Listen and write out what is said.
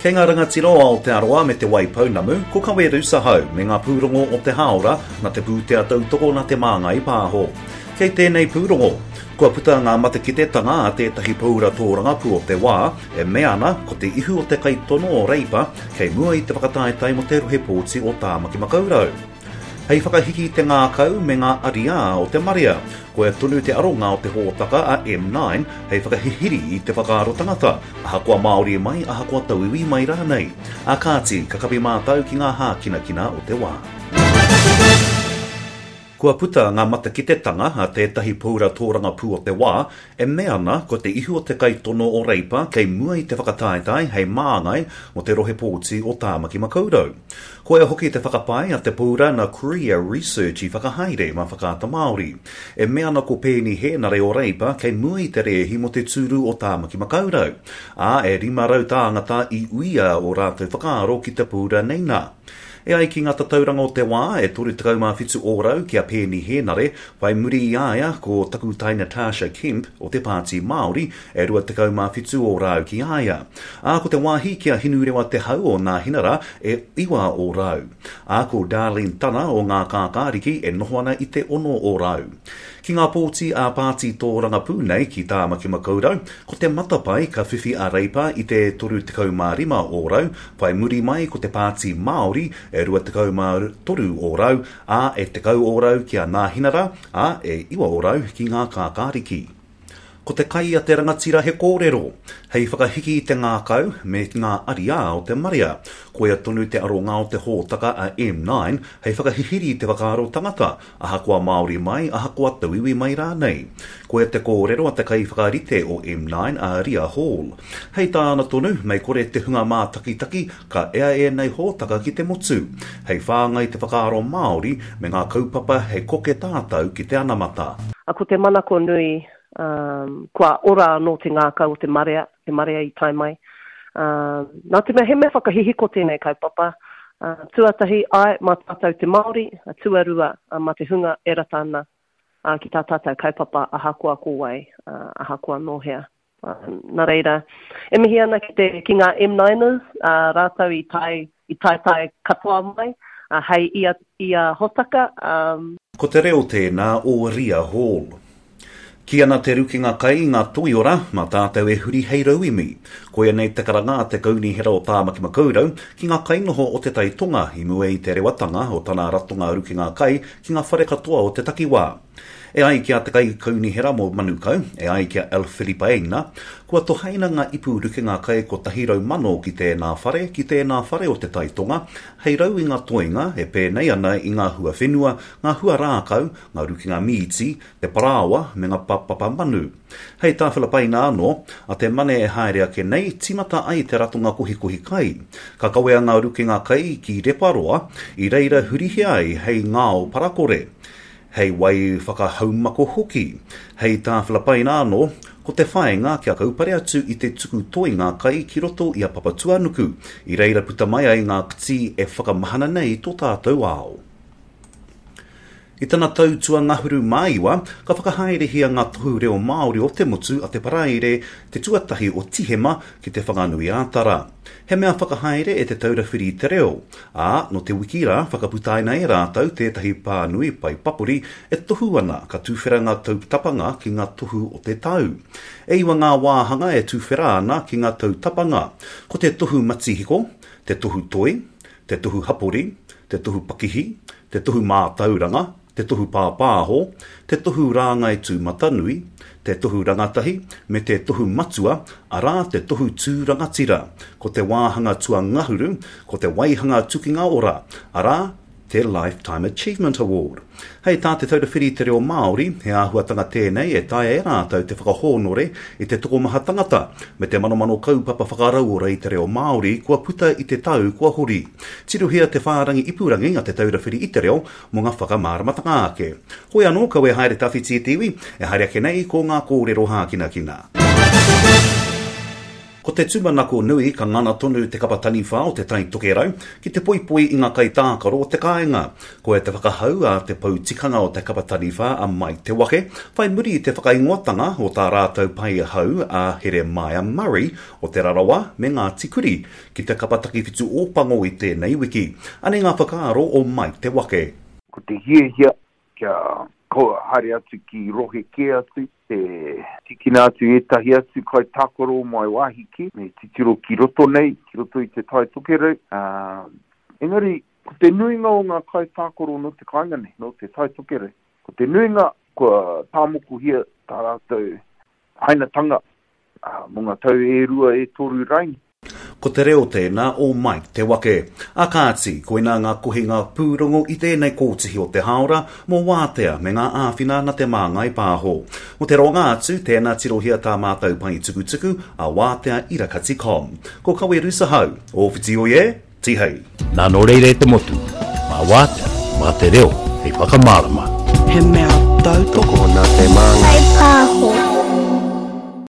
Kei ngā rangatira o Aotearoa me Te Waipounamu, ko Kawe Rusahau me ngā pūrongo o te hāora na te pūtea tautoko na Te Māngai Pāho. Kei tēnei pūrongo, kua puta ngā matekitetanga a tētahi paura tōrangapū o te wā e mea ana ko te ihu o te kaitono o Reipa kei mua i te whakataetae mo te rohe pōti o Tāmaki Makaurau. Hei whakahiki i te ngākau me ngā ariā o te marea, koia tonu te aronga o te hōtaka a M9 hei whakahihiri i te whakaaro tangata, ahakoa Māori mai, ahakoa tauiwi mai rānei. Ā kāti, ka kapi mātau ki ngā hākinakina o te wā. Kua puta ngā matakitetanga a tētahi paura tōrangapū o te wā e mea ana ko te ihu o te kaitono o Reipa kei mua i te whakataetae hei māngai mō te rohe pōti o Tāmaki Makaurau. Koia hoki te whakapae a te paura na Korea Research i whakahaere mā Whakaata Māori. E mea ana ko Peeni Hēnare o Reipa kei mua i te rēhi mō te tūru o Tāmaki Makaurau, ā, e 500 tāngata i uia ō rātou whakaaro ki te paura nei nā. E ai ki ngā tatauranga o te wā, e 37 ōrau ki a Peeni Hēnare, whai muri i a ia ko Takutai Natasha Kemp o te Pāti Māori, e 27 ōrau ki a ia. Ā, ko te wāhi ki a Hinurewa Te Hau o Nāhinara e 9 ōrau. Ā, ko Darlene Tana o Ngā Kākāriki e noho ana i te 6 ōrau. Ki ngā pōti ā-pāti tōrangapū nei ki Tāmaki Makaurau, ko te matapae ka whiwhi a Reipa i te 35 ōrau, whai muri mai ko te Pāti Māori e 23 ōrau, ā, e 10 ōrau ki a Nāhinara, ā, e 9 ōrau ki Ngā Kākāriki. Ko te kai a te rangatira he kōrero, hei whakahiki i te ngākau me ngā ariā o te marea. Koia tonu te aronga o te hōtaka a M9 hei whakahihiri i te whakaaro tangata, ahakoa Māori mai, ahakoa tauiwi mai rānei. Koia te kōrero a te kaiwhakarite o M9 a Ria Hall. Hei tāna tonu, mei kore te hunga mātakitaki ka ea ēnei hōtaka ki te motu, hei whāngai te whakaaro Māori me ngā kaupapa hei koke tātau ki te anamata. Ko te manako nui kua ora anō te ngākau o te marea, te marea i tae mai. Nā te mea he mea whakahihiko tēnei kaupapa, tuatahi, āe, mā tātou te Māori, tuarua, mā te hunga e rata ana ki tā tātou kaupapa ahakoa ko wai, ahakoa nō hea. Nā reira, e mihi ana ki te, ki ngā M9ers, rātou i tae, i taetae katoa mai, hei ia, ia hotaka. Ko te reo tēnā o Ria Hall. Kī ana te rukenga kai i ngā toiora, mā tātou e huri hei rauemi. Koia nei te karanga a te Kaunihera o Tāmaki Makaurau ki ngā kainoho o Te Tai Tonga i mua i te rewatanga o tana ratonga rukenga kai ki ngā whare katoa o te takiwā. E ai ki a te Kaikaunihera mō Manukau, e ai ki a Alf Filipaina, kua tohaina ngā ipu rukenga kai 100,000 ki tēnā whare, ki tēnā whare o Te Tai Tonga, hei rau i ngā toenga e pēnei ana i ngā hua whenua, ngā hua rākau, ngā rukenga mīti, te parāoa me ngā papa manu. Hei tā Filipaina anō, a te Mane e haere ake nei, tīmata ai te ratonga kohikohi kai. Ka kawea ngā rukenga kai ki Reparoa, i reira hurihia ai hei ngao parakore. Hei wai whakahaumako hoki. Hei tā Filipaina anō, ko te whāinga kia kaupare atu i te tuku toenga kai ki roto i a Papatuanuku, i reira puta mai ai ngā ktī e whakamahana nei tō tātou ao. I tana tau tuangahuru mā iwa, ka whakahaerehia ngā tohu reo Māori o te motu a te Paraire te tuatahi o Tihema ki Te Whanganui-ā-Tara. He mea whakahaere e Te Taura Whiri i te Reo, ā, nō te wiki rā whakaputaina e rātou tētahi pānui pae papori e tohu ana ka tuwhera ngā tautapanga ki ngā tohu o te tau. E iwa ngā wāhanga e tuwhera ana ki ngā tautapanga, ko te tohu matihiko, te tohu toi, te tohu hapori, te tohu pakihi, te tohu mātauranga, te tohu pāpāho, te tohu rāngai tūmatanui, te tohu rangatahi, me te tohu matua, arā, te tohu tū rangatira. Ko te wāhanga tuangahuru, ko te waihanga tukinga ora, arā, te Lifetime Achievement Award. Hei tā Te Taura Whiri i te Reo Māori, he āhuatanga tēnei e taea e rātou te whakahōnore i te tokomaha tangata me te manomano kaupapa whakarauora i te reo Māori kua puta i te tau kua hori. Tirohia te whārangi ipurangi a Te Taura Whiri i te Reo mō ngā whakamāramatanga ake. Hoi anō, kaua e haere tawhiti e te iwi, e haere ake nei ko ngā kōrero hākinakina. Ko te tūmanako nui ka ngana tonu te kapa taniwha o Te Tai Tokerau ki te poipoi i ngā kaitākaro o te kāinga. Koia te whakahau a te pou tikanga o te kapa taniwha a Mike Te Wake, whai muri i te whakaingoatanga o tā rātou pae hou a Heremaia Murray o Te Rarawa me Ngāti Kuri ki te kapa takiwhitu Ōpango i tēnei wiki. Anei ngā whakaaro o Mike Te Wake. Ko te hiahia kia haere atu ki rohe kē atu, te tīkina atu ētahi atu kaitākaro mai wāhi kē, me titiro ki roto nei, ki roto i Te Tai Tokerau. Engari, ko te nuinga o ngā kaitākaro nō te kāinga nei, nō Te Tai Tokerau, ko te nuinga kua tāmokohia tā rātou hainatanga mō ngā tau e rua, e toru raini. Ko te reo tēnā o Mike Te Wake. A kāti, koinā ngā kohinga pūrongo i tēnei kōtihi o te hāora mō Wātea me ngā āwhina na Te Māngai Pāho. Mō te roanga atu, tēnā tirohia tā mātou pae tukutuku a Wātea Irakati com. Ko Kawe Rusahau, o Whiti Oi e, Tihei! Nā nō reira e te motu, mā Wātea, mā te reo hei whakamārama. He mea tautoko. Tokona te māngai. Pāho.